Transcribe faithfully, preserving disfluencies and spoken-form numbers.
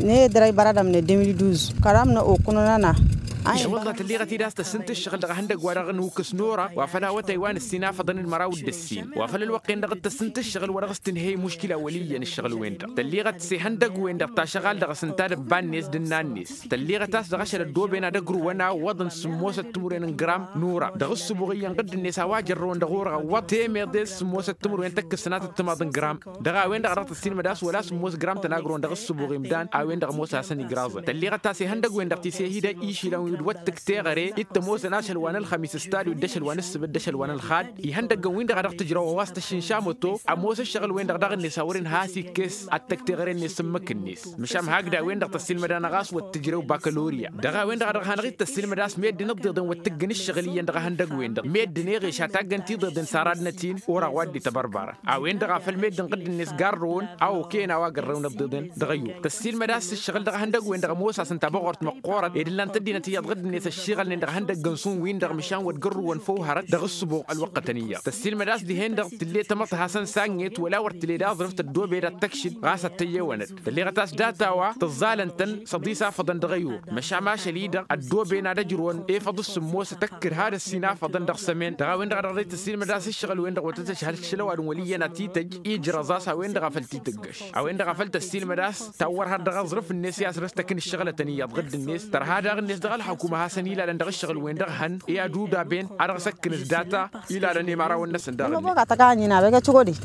N-e-dăr a ibăradăm n-e-de mil duz kăram n-okǝnănăna. I-wălla tălliɣăt-dd a-s tăssǝnt ǝššăɣǝl dăɣ-ehăndăgg wa dăɣ-nǝwǝkkǝs nora wa făl a-wătay wa nǝssin afăḍăn d-măraw d-ǝssin wa făl ălwăqq-en-dăɣ d-tăssǝnt ǝššăɣǝl wa dăɣ-s tǝnhăy muškila wăl' iyyăn ǝššăɣǝl-wen-dăɣ tălliɣăt s-ehăndăgg-wen-dăɣ tašăɣalt dăɣ-s ǝnta d-ǝbba-net d-ǝnna-net. Tălliɣăt a-s dăɣ-ašăl ăddooben ad-ăgrǝwăn a ǝwwăḍăn sǝmmosăt timǝrwen n-gram n-ura dăɣ-ǝssǝbuɣ iyyăn ɣǝdd-net a-wa jărrăwăn dăɣ-ura ǝwwăḍ temeḍe d-sǝmmosăt timǝrwen tăkkǝsnat d-timaḍ n-gram. Dăɣ-a-wen-dăɣ a dăɣ-tăssiilmăd a-s wăla sǝmmos gram tăn-agrǝwăn dăɣ-ǝssǝbuɣ imdan a-wen-dăɣ ămoos a hasăn-igraẓăn tălliɣăt a-s ihăndăgg-wen-dăɣ ti s-e-hi-dăɣ išilăn wi d-wăttǝk teɣăre d-tămoosăn ašăl wa n-ălxămis s-tadwit d-ašăl wa n-ǝssǝbǝt d-ašăl wa n-ălxad. Ihăndăggăn-win-dăɣ a dăɣ-tǝjrăw ăwas tăššǝnša măto ămoos ǝššăɣǝl-wen-dăɣ daɣ-net a wăren has-ikkes ad-tăkk teɣăre-net s-ǝmmǝk-net. Măšan hakd a-wen-dăɣ tăssiilmăd-anăɣ a-s wăr tǝjrew bakălorya dăɣ-a-wen-dăɣ a dăɣ-hanăɣ-dd tăssiilmăd a-s meddǝn ǝḍḍeḍăn wăr tǝggǝn ǝššăɣǝl iyyăn dăɣ-ehăndăgg-wen-dăɣ meddǝn eɣeš ad-taggăn tiḍeḍen s-aradnăt-in. Or a-wa dd-ităbărbărăn a-wen-dăɣ a făl meddǝn ɣǝdd-net garrăwăn a okăyăn a-wa gărrăwăn ǝḍḍeḍen. Dăɣ-ăyyu tăssiilmăd a-s ǝššăɣǝl dăɣ-ehăndăgg-wen-dăɣ ămoos-asăn tabăɣort măqqoorăt ed ǝllan tăddinăt iyyăḍ ɣǝdd-net ăššiɣălnen dăɣ-ehăndăgg-năsăn-win-dăɣ măšan wăr t-gărrǝwăn făw hărăt dăɣ-ǝssǝbuɣ ălwăqqătăn iyyăḍ tăssiilmăd a-s dihen-dăɣ tǝlle tamăḍt hasăn-sanget wăla wăr tǝled aẓrǝf tăddoobed ad-tăkšǝd ɣas ad-tăyyewănăd. Tălleɣăt a-s data-wa tǝẓẓalăn-tăn s-ăḍis afăḍăn dăɣ-ăyur. Măšan ašăl-i-dăɣ ăddooben ad-ăjrǝwăn efăḍ s-sǝmmosăt ăkkǝd had-ăssin afăḍăn dăɣ-sămen dăɣ-a-wen-dăɣ a dăɣ-dd-tăssiilmăd a-s ǝššăɣǝl-wen-dăɣ wăr tăt-ăšhăl šălăwadǝm wăl' iyyăn ad-t-tǝjj ijrăẓ a-s a-wen-dăɣ a făl t-tǝggăš. A-wen-dăɣ a făl tăssiilmăd a-s tawwăr har dăɣ-aẓrǝf-net i-asrăs tăkk n-ǝššăɣlătăn iyyăḍ ɣǝdd-net tărha daɣ-net dăɣ-ălxukǝm a hasăn-ilalăn dăɣ-ǝššăɣǝl-wen-dăɣ hăn i-ad-udaben a dăɣ-s ăkkǝnǝs data. Ilalăn i-imărawăn-năsăn daɣ-net.